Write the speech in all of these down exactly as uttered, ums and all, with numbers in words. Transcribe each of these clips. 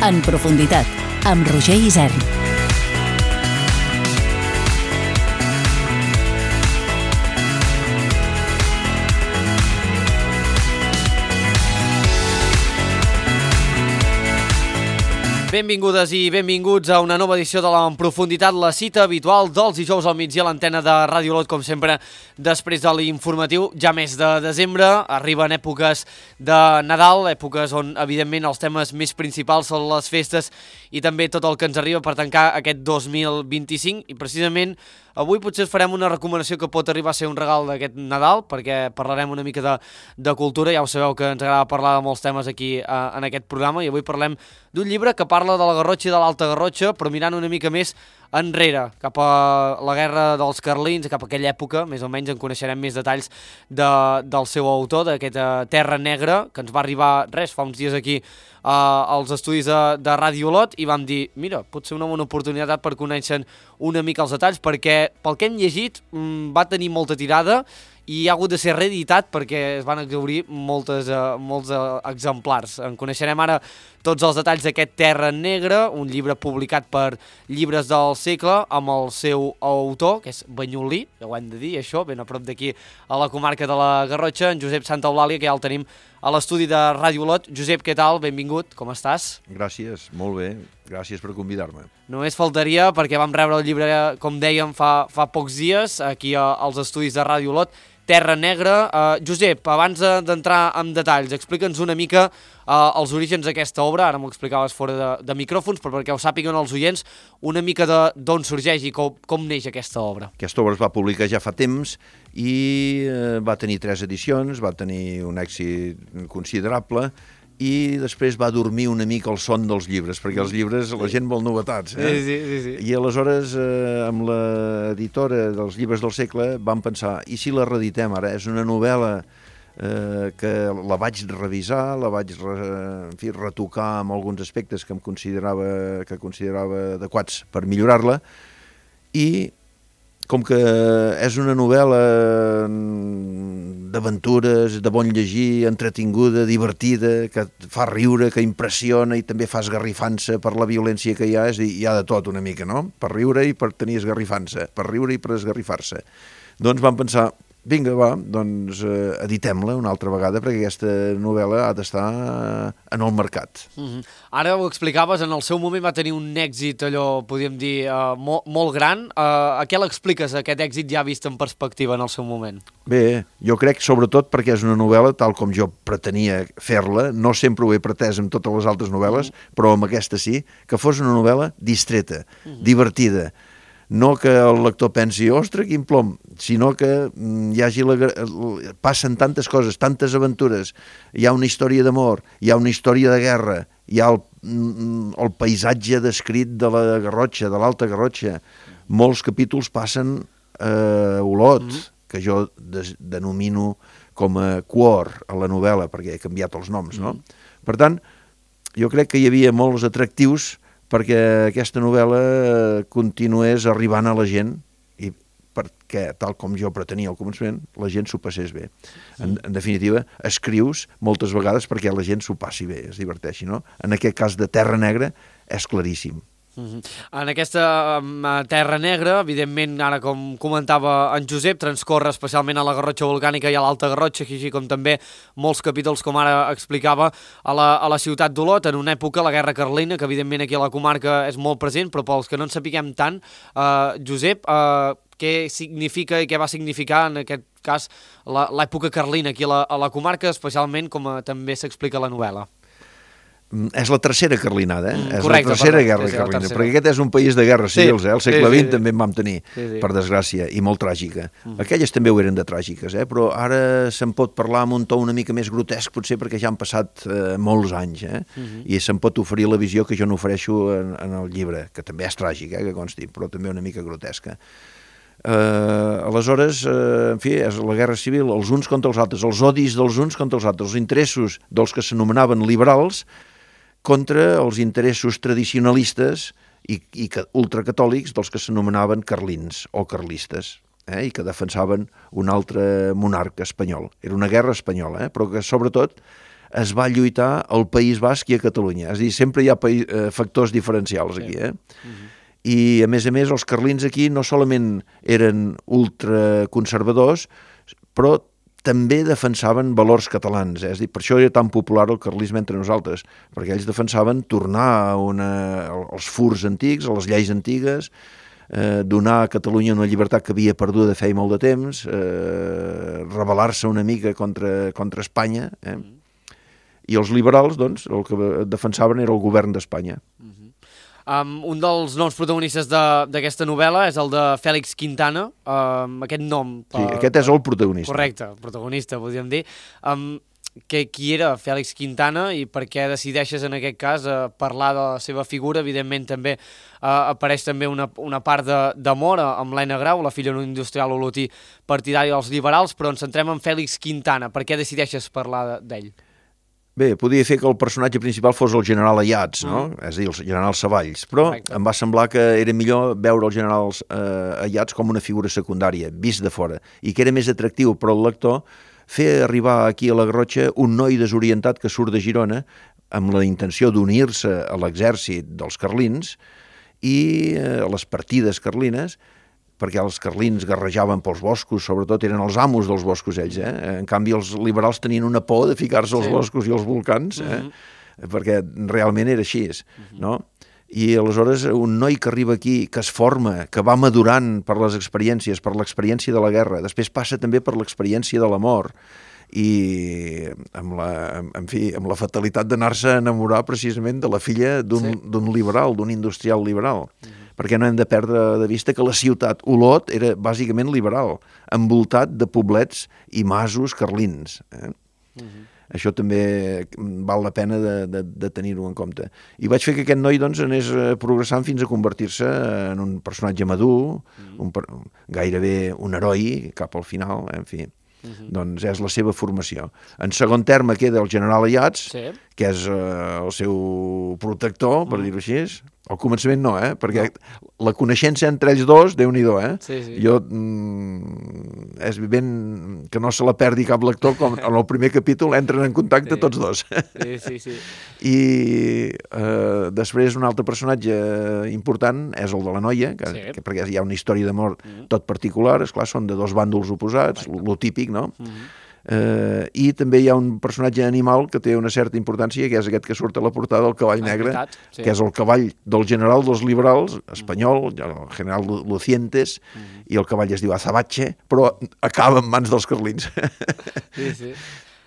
En profunditat, amb Roger Isern. Benvingudes i benvinguts a una nova edició de la En Profunditat, la cita habitual dels dijous al migdia a l'antena de Ràdio Olot, com sempre, després de l'informatiu. Ja mes de desembre, arriben èpoques de Nadal, èpoques on, evidentment, els temes més principals són les festes i també tot el que ens arriba per tancar aquest dos mil vint-i-cinc. I, precisament, avui potser us farem una recomanació que pot arribar a ser un regal d'aquest Nadal, perquè parlarem una mica de, de cultura. Ja ho sabeu que ens agrada parlar de molts temes aquí eh, en aquest programa, i avui parlem d'un llibre que parla de la Garrotxa i de l'Alta Garrotxa, però mirant una mica més enrere, cap a la guerra dels carlins, cap a aquella època. Més o menys en coneixerem més detalls de, del seu autor, d'aquesta Terra Negra, que ens va arribar, res, fa uns dies aquí uh, als estudis de, de Ràdio Olot, i vam dir, mira, pot ser una bona oportunitat per conèixer una mica els detalls, perquè pel que hem llegit mmm, va tenir molta tirada i ha hagut de ser reeditat perquè es van exhaurir moltes, uh, molts uh, exemplars. En coneixerem ara tots els detalls d'aquest Terra Negra, un llibre publicat per Llibres del Segle, amb el seu autor, que és banyolí, ja ho hem de dir, això, ben a prop d'aquí a la comarca de la Garrotxa, en Josep Santaeulàlia, que ja el tenim a l'estudi de Ràdio Olot. Josep, què tal? Benvingut, com estàs? Gràcies, molt bé, gràcies per convidar-me. Només faltaria, perquè vam rebre el llibre, com dèiem, fa, fa pocs dies, aquí a, als estudis de Ràdio Olot, Terra Negra. Uh, Josep, abans d'entrar en detalls, explica'ns una mica uh, els orígens d'aquesta obra. Ara m'ho explicaves fora de, de micròfons, però perquè ho sàpiguen els oients, una mica d'on sorgeix i com, com neix aquesta obra. Aquesta obra es va publicar ja fa temps i uh, va tenir tres edicions, va tenir un èxit considerable, i després va dormir una mica el son dels llibres, perquè els llibres la gent vol novetats. Eh? Sí, sí, sí, sí. I aleshores, eh, amb l'editora dels Llibres del Segle, vam pensar, i si la reeditem ara? És una novel·la eh, que la vaig revisar, la vaig re, en fi, retocar amb alguns aspectes que em considerava, que considerava adequats per millorar-la, i com que és una novel·la d'aventures, de bon llegir, entretinguda, divertida, que fa riure, que impressiona i també fa esgarrifança per la violència que hi ha, és a dir, hi ha de tot una mica, no? Per riure i per tenir esgarrifança, per riure i per esgarrifar-se. Doncs vam pensar, vinga, va, doncs eh, editem-la una altra vegada, perquè aquesta novel·la ha d'estar en el mercat. Mm-hmm. Ara ho explicaves, en el seu moment va tenir un èxit, allò, podríem dir, uh, molt, molt gran. Uh, a què l'expliques, aquest èxit ja vist en perspectiva en el seu moment? Bé, jo crec sobretot perquè és una novel·la tal com jo pretenia fer-la, no sempre ho he pretès amb totes les altres novel·les, mm-hmm. però amb aquesta sí, que fos una novel·la distreta, mm-hmm. divertida. No que el lector pensi, ostres, quin plom, sinó que hi hagi la, passen tantes coses, tantes aventures, hi ha una història d'amor, hi ha una història de guerra, hi ha el, el paisatge descrit de la Garrotxa, de l'Alta Garrotxa. Molts capítols passen a Olot, mm-hmm. que jo des, denomino com a Cuor a la novel·la, perquè he canviat els noms, no? Mm-hmm. Per tant, jo crec que hi havia molts atractius perquè aquesta novel·la continués arribant a la gent i perquè, tal com jo pretenia al començament, la gent s'ho passés bé. En, en definitiva, escrius moltes vegades perquè la gent s'ho passi bé, es diverteixi, no? En aquest cas de Terra Negra és claríssim. Uh-huh. En aquesta um, Terra Negra, evidentment, ara com comentava en Josep, transcorre especialment a la Garrotxa Volcànica i a l'Alta Garrotxa, així com també molts capítols, com ara explicava, a la, a la ciutat d'Olot, en una època, la Guerra Carlina, que evidentment aquí a la comarca és molt present, però pels que no en sapiguem tant, uh, Josep, uh, què significa i què va significar en aquest cas l'època carlina aquí a la, a la comarca, especialment com a, també s'explica a la novel·la? És la tercera carlinada, eh? Mm, és correcte, la tercera perdó, guerra sí, sí, carlina, tercera. perquè aquest és un país de guerres civils, sí, eh? El segle sí, vint sí, també en vam tenir, sí, sí. per desgràcia, i molt tràgica. Mm. Aquelles també ho eren de tràgiques, eh? Però ara se'n pot parlar amb un to una mica més grotesc, potser perquè ja han passat eh, molts anys, eh? Mm-hmm. I se'n pot oferir la visió que jo n'ofereixo en, en el llibre, que també és tràgic, eh? Que consti, però també una mica grotesca. Uh, aleshores, uh, en fi, és la guerra civil, els uns contra els altres, els odis dels uns contra els altres, els interessos dels que s'anomenaven liberals contra els interessos tradicionalistes i, i ultracatòlics dels que s'anomenaven carlins o carlistes, eh, i que defensaven un altre monarca espanyol. Era una guerra espanyola, eh, però que sobretot es va lluitar al País Basc i a Catalunya. És a dir, sempre hi ha país, eh, factors diferencials aquí, eh? Uh-huh. I, a més a més, els carlins aquí no solament eren ultraconservadors, però també defensaven valors catalans. Eh? És a dir, per això era tan popular el carlisme entre nosaltres, perquè ells defensaven tornar a una, als furs antics, a les lleis antigues, eh, donar a Catalunya una llibertat que havia perdut de feia molt de temps, eh, rebel·lar-se una mica contra, contra Espanya, eh? I els liberals, doncs, el que defensaven era el govern d'Espanya. Um, un dels noms protagonistes d'aquesta novel·la és el de Fèlix Quintana, um, aquest nom... Sí, uh, aquest és el protagonista. Correcte, el protagonista, podríem dir. Um, que, qui era Fèlix Quintana i per què decideixes, en aquest cas, uh, parlar de la seva figura? Evidentment, també uh, apareix també una, una part d'amor amb l'Ena Grau, la filla d'un industrial olotí partidari dels liberals, però ens centrem en Fèlix Quintana. Per què decideixes parlar d'ell? Bé, podia fer que el personatge principal fos el general Ayats, no? Mm. És a dir, el general Savalls, però Correcte. Em va semblar que era millor veure el general eh, Ayats com una figura secundària, vist de fora, i que era més atractiu per al lector fer arribar aquí a la Garrotxa un noi desorientat que surt de Girona amb la intenció d'unir-se a l'exèrcit dels carlins i eh, a les partides carlines, perquè els carlins garrejaven pels boscos, sobretot eren els amos dels boscos ells, eh? En canvi els liberals tenien una por de ficar-se als sí. boscos i als volcans, eh? Uh-huh. Perquè realment era així, uh-huh. no? I aleshores un noi que arriba aquí, que es forma, que va madurant per les experiències, per l'experiència de la guerra, després passa també per l'experiència de la mort, i amb la, en fi, amb la fatalitat d'anar-se a enamorar precisament de la filla d'un sí. d'un liberal, d'un industrial liberal. Uh-huh. Perquè no hem de perdre de vista que la ciutat Olot era bàsicament liberal, envoltat de poblets i masos carlins. Eh? Uh-huh. Això també val la pena de, de, de tenir-ho en compte. I vaig fer que aquest noi doncs, anés progressant fins a convertir-se en un personatge madur, uh-huh. un, gairebé un heroi cap al final, en fi. Uh-huh. Doncs és la seva formació. En segon terme queda el general Ayats, sí. que és uh, el seu protector, per uh-huh. dir-ho així. Al començament no, eh? Perquè no. la coneixença entre ells dos, Déu-n'hi-do, eh? Sí, sí. Jo, mm, és ben que no se la perdi cap lector, com en el primer capítol entren en contacte sí. tots dos. Sí, sí, sí. I eh, després un altre personatge important és el de la noia, que, sí. que, perquè hi ha una història d'amor mm. tot particular, esclar, són de dos bàndols oposats, lo, lo típic, no? Mm. Uh, i també hi ha un personatge animal que té una certa importància, que és aquest que surt a la portada, el cavall ah, negre, veritat, sí. que és el cavall del general dels liberals espanyol, el general Lucientes, mm. i el cavall es diu Azabache, però acaba en mans dels carlins. Sí, sí.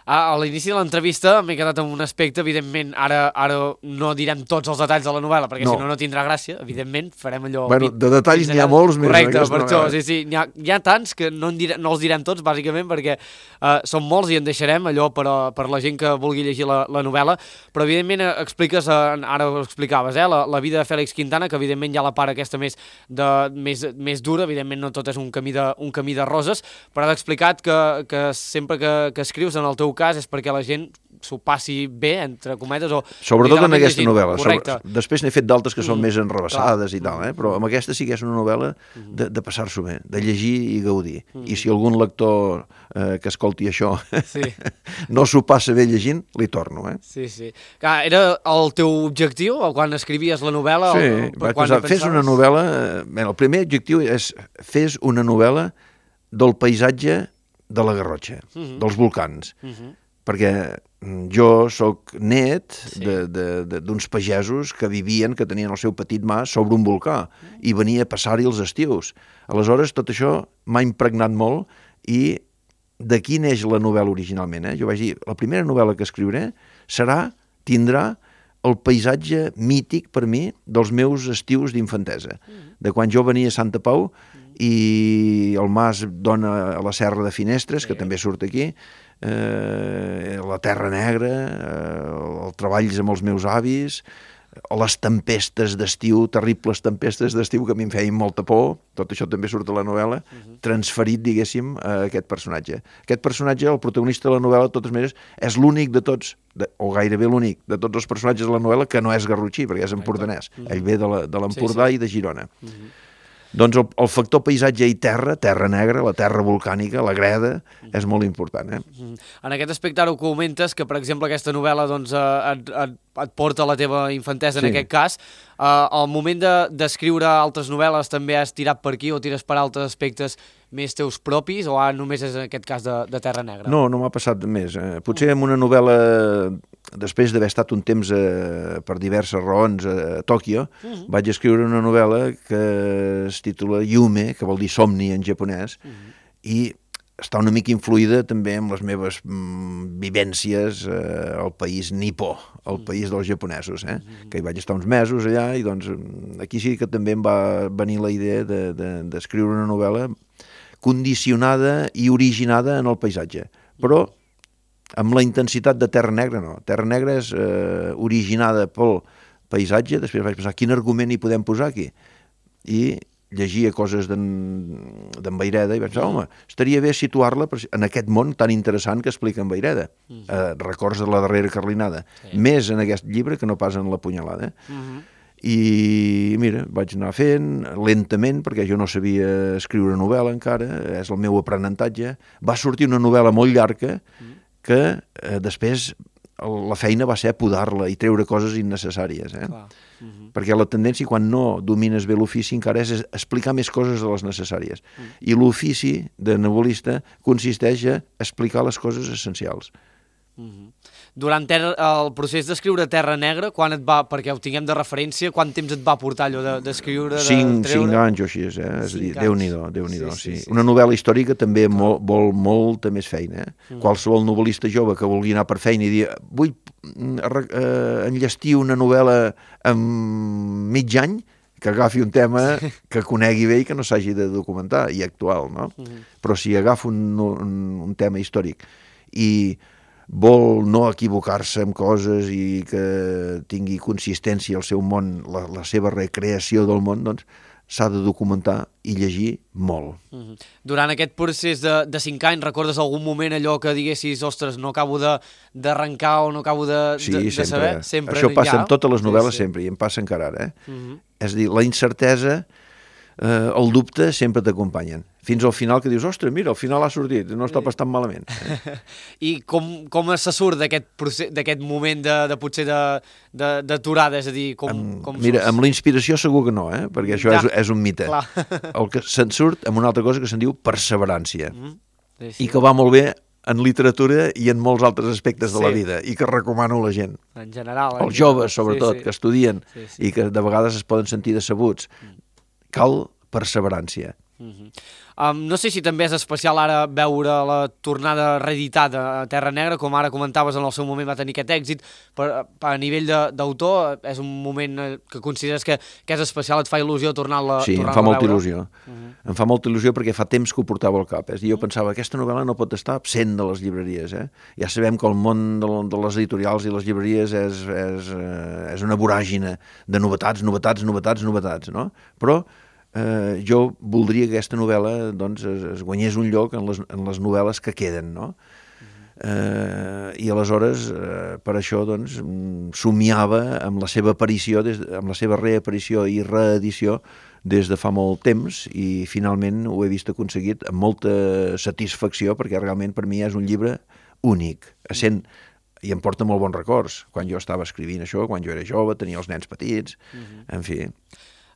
A l'inici de l'entrevista m'he quedat amb un aspecte, evidentment, ara ara no direm tots els detalls de la novel·la, perquè no. si no, no tindrà gràcia, evidentment, farem allò... Bueno, de detalls n'hi ha molts més. Correcte, per això, sí, sí, n'hi ha, hi ha tants que no, direm, no els direm tots, bàsicament, perquè uh, són molts i en deixarem allò per, a, per la gent que vulgui llegir la, la novel·la, però evidentment expliques, uh, ara ho explicaves, eh, la, la vida de Fèlix Quintana, que evidentment hi ha la part aquesta més, de, més, més dura, evidentment no tot és un camí de, un camí de roses, però has explicat que, que sempre que, que escrius, en el teu cas, és perquè la gent s'ho passi bé, entre cometes, o... Sobretot en aquesta llegint. novel·la. Correcte. Sobre... Després n'he fet d'altres que són mm, més enrevessades clar. i tal, eh? Però amb aquesta sí que és una novel·la de, de passar-s'ho bé, de llegir i gaudir. Mm. I si algun lector eh, que escolti això sí. no s'ho passa bé llegint, li torno, eh? Sí, sí. Clar, era el teu objectiu quan escrivies la novel·la? Sí, o, o, vaig pensar, fes una novel·la... Bé, el primer objectiu és fes una novel·la del paisatge de la Garrotxa, mm-hmm. dels volcans. Mm-hmm. Perquè jo sóc net sí. d'uns pagesos que vivien, que tenien el seu petit mas sobre un volcà i venia a passar-hi els estius. Aleshores, tot això m'ha impregnat molt i d'aquí neix la novel·la originalment. Eh? Jo vaig dir, la primera novel·la que escriuré serà, tindrà el paisatge mític per mi dels meus estius d'infantesa. De quan jo venia a Santa Pau i el mas dona a la Serra de Finestres, que també surt aquí, eh, la Terra Negra, eh, el treballs amb els meus avis, les tempestes d'estiu, terribles tempestes d'estiu que a mi em feien molta por, tot això també surt a la novel·la, uh-huh. transferit, diguéssim, a aquest personatge. Aquest personatge, el protagonista de la novel·la, de totes maneres, és l'únic de tots, de, o gairebé l'únic, de tots els personatges de la novel·la que no és garrotxí, perquè és empordanès. Uh-huh. Ell ve de l'Empordà sí, sí. i de Girona. Uh-huh. Doncs el, el factor paisatge i terra, terra negra, la terra volcànica, la greda, és molt important. Eh? En aquest aspecte ara ho comentes, que per exemple aquesta novel·la doncs, et, et, et porta a la teva infantesa, sí. En aquest cas. Uh, al moment d'escriure de, altres novel·les també has tirat per aquí o tires per altres aspectes més teus propis, o ara només és en aquest cas de, de Terra Negra? No, no m'ha passat més. Eh? Potser en una novel·la, després d'haver estat un temps eh, per diverses raons a Tòquio, uh -huh. vaig escriure una novel·la que es titula Yume, que vol dir somni en japonès, uh -huh. i està una mica influïda també amb les meves mm, vivències eh, al país nipó, al país dels japonesos, eh? Mm. Que hi vaig estar uns mesos allà i doncs aquí sí que també em va venir la idea d'escriure de, de, una novel·la condicionada i originada en el paisatge, però amb la intensitat de Terra Negra no. Terra Negra és eh, originada pel paisatge, després vaig pensar quin argument hi podem posar aquí, i llegia coses d'en Vayreda i vaig pensar, home, estaria bé situar-la en aquest món tan interessant que explica en Vayreda. Uh -huh. eh, records de la darrera carlinada. Sí. Més en aquest llibre que no pas en la punyalada. Uh -huh. I mira, vaig anar fent lentament, perquè jo no sabia escriure novel·la encara, és el meu aprenentatge. Va sortir una novel·la molt llarga que eh, després la feina va ser podar-la i treure coses innecessàries. Eh? Clar. Uh -huh. Perquè la tendència, quan no domines bé l'ofici, encara és explicar més coses de les necessàries. Uh -huh. I l'ofici de novel·lista consisteix a explicar les coses essencials. Uh -huh. Durant ter el procés d'escriure Terra Negra, quan et va, perquè ho tinguem de referència, quant temps et va portar allò d'escriure? De, cinc, de cinc anys o així, eh? És a dir, Déu-n'hi-do, Déu-n'hi-do, sí, sí, sí. Una novel·la històrica també vol, vol molta més feina, eh? Uh -huh. Qualsevol novel·lista jove que vulgui anar per feina i dir, vull eh, enllestir una novel·la en mig any, que agafi un tema que conegui bé i que no s'hagi de documentar, i actual, no? Uh -huh. Però si agafa un, un, un tema històric i vol no equivocar-se amb coses i que tingui consistència al seu món, la, la seva recreació del món, doncs s'ha de documentar i llegir molt. Uh -huh. Durant aquest procés de, de cinc anys, recordes algun moment allò que diguessis, ostres, no acabo d'arrencar o no acabo de, sí, de, de sempre. saber? Sempre. Això passa ja? en totes les novel·les, sí, sí. Sempre, i em passa encara ara. Eh? Uh -huh. És a dir, la incertesa, eh, el dubte sempre t'acompanyen. Fins al final que dius, ostres, mira, al final ha sortit, no està pas tan malament. Eh? I com, com se surt d'aquest moment de, de potser d'aturada, és a dir, com, amb, com mira, surts? Amb la inspiració segur que no, eh? Perquè això ja. és, és un mite. Clar. El que se'n surt amb una altra cosa que se'n diu perseverància, mm. sí, sí. I que va molt bé en literatura i en molts altres aspectes de sí. la vida, i que recomano a la gent. En general. Els joves, sobretot, sí, sí. que estudien sí, sí. i que de vegades es poden sentir decebuts. Mm. Cal perseverància. Mm-hmm. Um, no sé si també és especial ara veure la tornada reeditada a Terra Negra, com ara comentaves, en el seu moment va tenir aquest èxit, però a nivell d'autor és un moment que consideres que, que és especial, et fa il·lusió tornar-la sí, tornar em fa molta veure? il·lusió. Uh-huh. Em fa molta il·lusió perquè fa temps que ho portava al cap. És a dir, jo pensava, aquesta novel·la no pot estar absent de les llibreries. Eh? Ja sabem que el món de, de les editorials i les llibreries és, és, és una voràgina de novetats, novetats, novetats, novetats, no? Però Eh, jo voldria que aquesta novel·la doncs, es, es guanyés un lloc en les, en les novel·les que queden, no? Eh, I aleshores, eh, per això, doncs, somiava amb la seva aparició, des, amb la seva reaparició i reedició des de fa molt temps, i finalment ho he vist aconseguit amb molta satisfacció, perquè realment per mi és un llibre únic, essent, i em porta molt bons records, quan jo estava escrivint això, quan jo era jove, tenia els nens petits, en fi...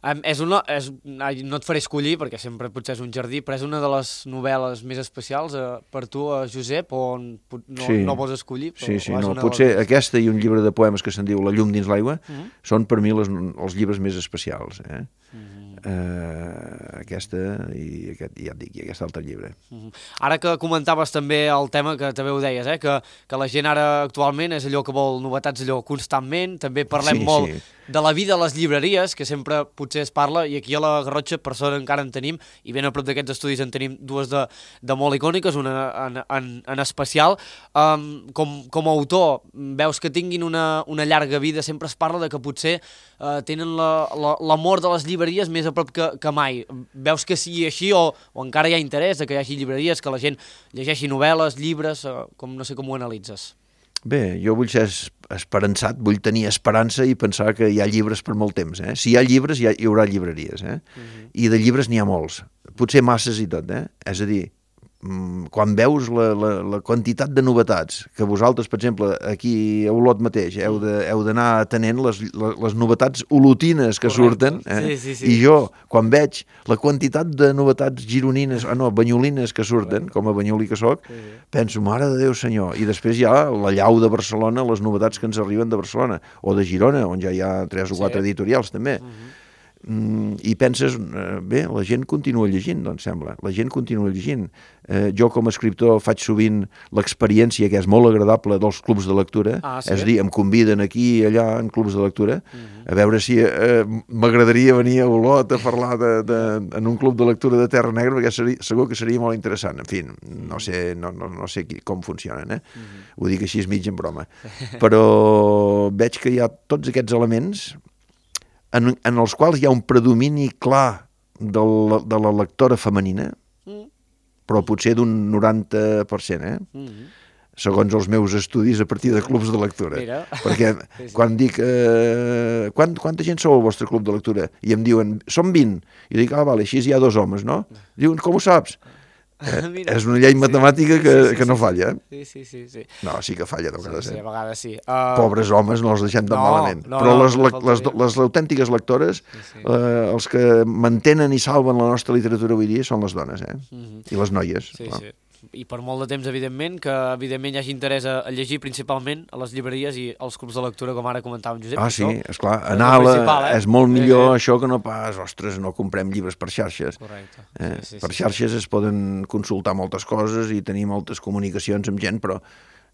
Um, és una, és, no et faré escollir, perquè sempre potser és un jardí, però és una de les novel·les més especials eh, per tu, eh, Josep, o no, sí. no vols escollir? Però sí, sí, no. Potser les... aquesta i un llibre de poemes que se'n diu La llum dins l'aigua uh -huh. són per mi les, els llibres més especials. Eh? Uh -huh. Uh, aquesta i, aquest, ja et dic, i aquest altre llibre. Uh -huh. Ara que comentaves també el tema que també ho deies, eh? que, que la gent ara actualment és allò que vol novetats allò constantment, també parlem sí, molt sí. de la vida a les llibreries, que sempre potser es parla, i aquí a la Garrotxa per sort encara en tenim, i ben a prop d'aquests estudis en tenim dues de, de molt icòniques, una en, en, en especial. Um, com, com a autor, veus que tinguin una, una llarga vida, sempre es parla de que potser uh, tenen l'amor la, la, de les llibreries més a prop que, que mai. Veus que sigui així o, o encara hi ha interès de que hi hagi llibreries, que la gent llegeixi novel·les, llibres, uh, com, no sé com ho analitzes? Bé, jo vull ser esperançat, vull tenir esperança i pensar que hi ha llibres per molt temps. Eh? Si hi ha llibres, hi, ha, hi haurà llibreries. Eh? Uh-huh. I de llibres n'hi ha molts. Potser masses i tot. Eh? És a dir, quan veus la, la, la quantitat de novetats, que vosaltres, per exemple, aquí a Olot mateix, heu de, heu d'anar atenent les, les, les novetats olotines que surten, eh? Sí, sí, sí. I jo, quan veig la quantitat de novetats gironines, ah no, banyolines que surten, com a banyolí que soc, sí, sí. penso, mare de Déu senyor, i després hi ha la llau de Barcelona, les novetats que ens arriben de Barcelona, o de Girona, on ja hi ha tres o quatre sí. editorials també. Uh-huh. Mm, i penses, eh, bé, la gent continua llegint, doncs sembla, la gent continua llegint. Eh, jo com a escriptor faig sovint l'experiència, que és molt agradable, dels clubs de lectura, ah, sí? És a dir, em conviden aquí i allà en clubs de lectura, uh-huh. a veure si eh, m'agradaria venir a Olot a parlar de, de, en un club de lectura de Terra Negra, perquè seria, segur que seria molt interessant. En fi, no sé, no, no, no sé qui, com funcionen, eh? Uh-huh. Ho dic així mig en broma. Però veig que hi ha tots aquests elements En, en els quals hi ha un predomini clar de la, de la lectora femenina, mm. però potser d'un noranta per cent, eh? Mm. segons els meus estudis a partir de clubs de lectura. Mira. Perquè sí, sí. quan dic eh, quant, quanta gent sou al vostre club de lectura? I em diuen, som vint. I dic, ah, vale, així hi ha dos homes, no? Diuen, com ho saps? Eh, és una llei matemàtica que, sí, sí, que no falla. Sí, sí, sí, sí. No, sí que falla, de vegades. Sí, sí, a vegades sí. Uh... Pobres homes, no els deixem tan no, malament. No, Però no, les, no, les, les, les autèntiques lectores, sí, sí. Eh, els que mantenen i salven la nostra literatura avui dia són les dones, eh? Mm-hmm. I les noies. Sí, clar. sí. I per molt de temps, evidentment, que evidentment hi hagi interès a, a llegir principalment a les llibreries i als clubs de lectura, com ara comentava en Josep. Ah, sí, esclar, anar a la... eh? És molt millor sí, sí. això que no pas, ostres, no comprem llibres per xarxes. Correcte. Eh? Sí, sí, per sí, xarxes sí. es poden consultar moltes coses i tenir moltes comunicacions amb gent, però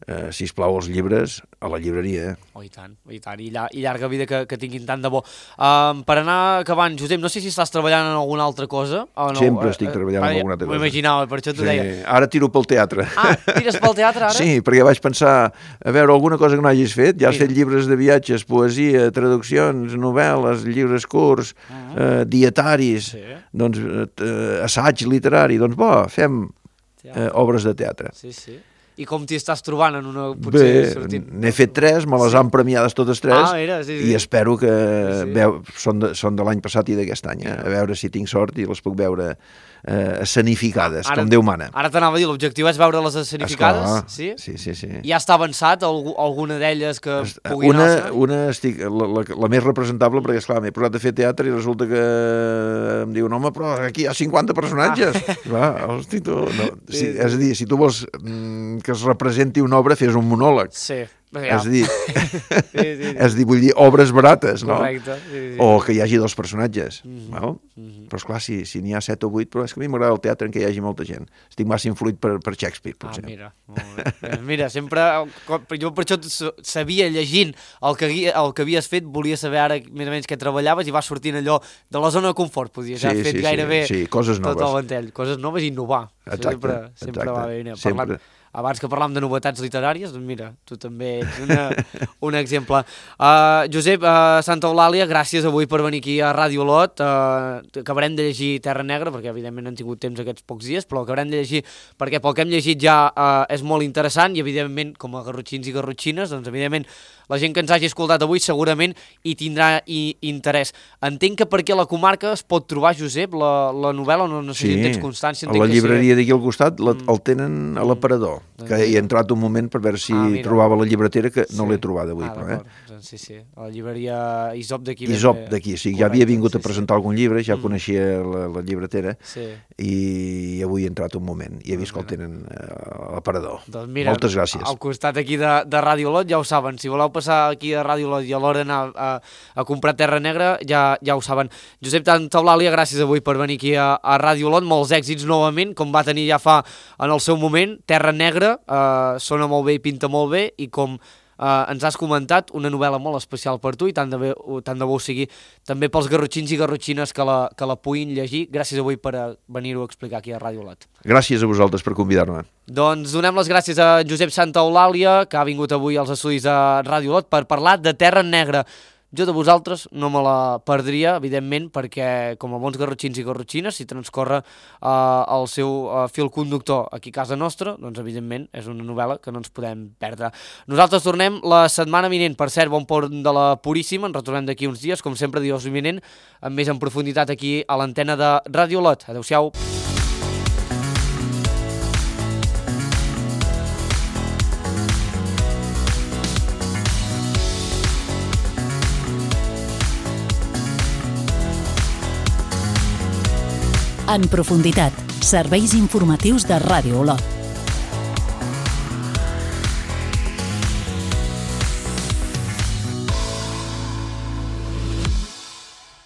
eh, sisplau, els llibres a la llibreria. Eh? Oh, i tant, oh, i tant, i, lla i llarga vida que, que tinguin tant de bo. Um, per anar acabant, Josep, no sé si estàs treballant en alguna altra cosa o no. Sempre estic treballant uh, en alguna altra cosa. M'imaginava, per això t'ho sí. deia. Ara tiro pel teatre. Ah, tires pel teatre ara? Sí, perquè vaig pensar, a veure, alguna cosa que no hagis fet, ja has Mira. fet llibres de viatges, poesia, traduccions, novel·les, llibres curts, uh -huh. eh, dietaris, sí. doncs eh, assaig literari, doncs bo, fem eh, obres de teatre. Sí, sí. I com t'hi estàs trobant en una... Potser Bé, n'he fet tres, me les sí. han premiades totes tres, ah, mira, sí, sí. i espero que sí, sí. Veu, són, de, són de l'any passat i d'aquest any, eh? A veure si tinc sort i les puc veure eh, escenificades, ara, com Déu mana. Ara t'anava a dir, l'objectiu és veure-les escenificades? Esclar, sí? Sí, sí, sí. Ja està avançat algú, alguna d'elles que pugui una, anar? Una, estic, la, la, la més representable, perquè esclar, m'he posat a fer teatre i resulta que em diuen, home, però aquí hi ha cinquanta personatges. Ah. Clar, hosti, tu, no. Sí, sí, és a dir, si tu vols mm, que es representi una obra, fes un monòleg. Sí. Ja. És a dir, sí, sí, sí. és a dir, vull dir, obres barates, no? Correcte. Sí, sí. O que hi hagi dos personatges, mm-hmm. val? Mm-hmm. Però esclar, si, si n'hi ha set o vuit, però és que a mi m'agrada el teatre en què hi hagi molta gent. Estic massa influït per, per Shakespeare, potser. Ah, mira, molt bé. Mira, sempre, jo per això sabia, llegint el que, el que havies fet, volia saber ara més o menys què treballaves i vas sortint allò de la zona de confort, podies haver sí, fet sí, gairebé sí, sí, coses noves. Tot el ventall. Coses noves i innovar. Exacte, sempre, sempre exacte. va bé. Mira, sempre. Parlant, abans que parlàvem de novetats literàries, doncs mira, tu també ets una, un exemple. Uh, Josep, uh, Santa Eulàlia, gràcies avui per venir aquí a Ràdio Olot. Uh, acabarem de llegir Terra Negra, perquè evidentment no hem tingut temps aquests pocs dies, però acabarem de llegir perquè pel que hem llegit ja uh, és molt interessant i evidentment, com a garrotxins i garrotxines, doncs evidentment la gent que ens hagi escoltat avui segurament hi tindrà i interès. Entenc que perquè a la comarca es pot trobar, Josep, la, la novel·la, no, no sé sí, si en tens constància. A la llibreria d'aquí al costat la, mm. el tenen a l'aparador, mm. que hi he entrat un moment per veure si ah, trobava la llibretera, que sí. no l'he trobat avui. Ah, però, eh? Sí, sí, a la llibreria Isop d'aquí. Isop d'aquí, sí, ja havia vingut sí, a presentar sí. algun llibre, ja mm. coneixia la, la llibretera, sí. i avui he entrat un moment, i he vist que el tenen a l'aparador. Doncs mira, moltes gràcies. Al costat aquí de, de Ràdio Olot, ja ho saben, si voleu passar aquí a Ràdio Olot i alhora anar a, a comprar Terra Negra, ja, ja ho saben. Josep Santa Eulàlia, gràcies avui per venir aquí a, a Ràdio Olot, molts èxits novament, com va tenir ja fa en el seu moment, Terra Negra, eh, sona molt bé i pinta molt bé, i com Uh, ens has comentat, una novel·la molt especial per tu i tant de, bé, tant de bo ho sigui també pels garrotxins i garrotxines que la, que la puguin llegir. Gràcies avui per venir-ho a explicar aquí a Ràdio Olot. Gràcies a vosaltres per convidar-me. Doncs donem les gràcies a Josep Santa Eulàlia, que ha vingut avui als estudis de Ràdio Olot per parlar de Terra Negra. Jo de vosaltres no me la perdria, evidentment, perquè com a bons garrotxins i garrotxines, si transcorre eh, el seu eh, fil conductor aquí a casa nostra, doncs evidentment és una novel·la que no ens podem perdre. Nosaltres tornem la setmana vinent, per cert, bon pont de la Puríssima, ens retornem d'aquí uns dies, com sempre, dijous vinent, amb més en profunditat aquí a l'antena de Ràdio Olot. Adéu-siau. En profunditat, serveis informatius de Ràdio Olot.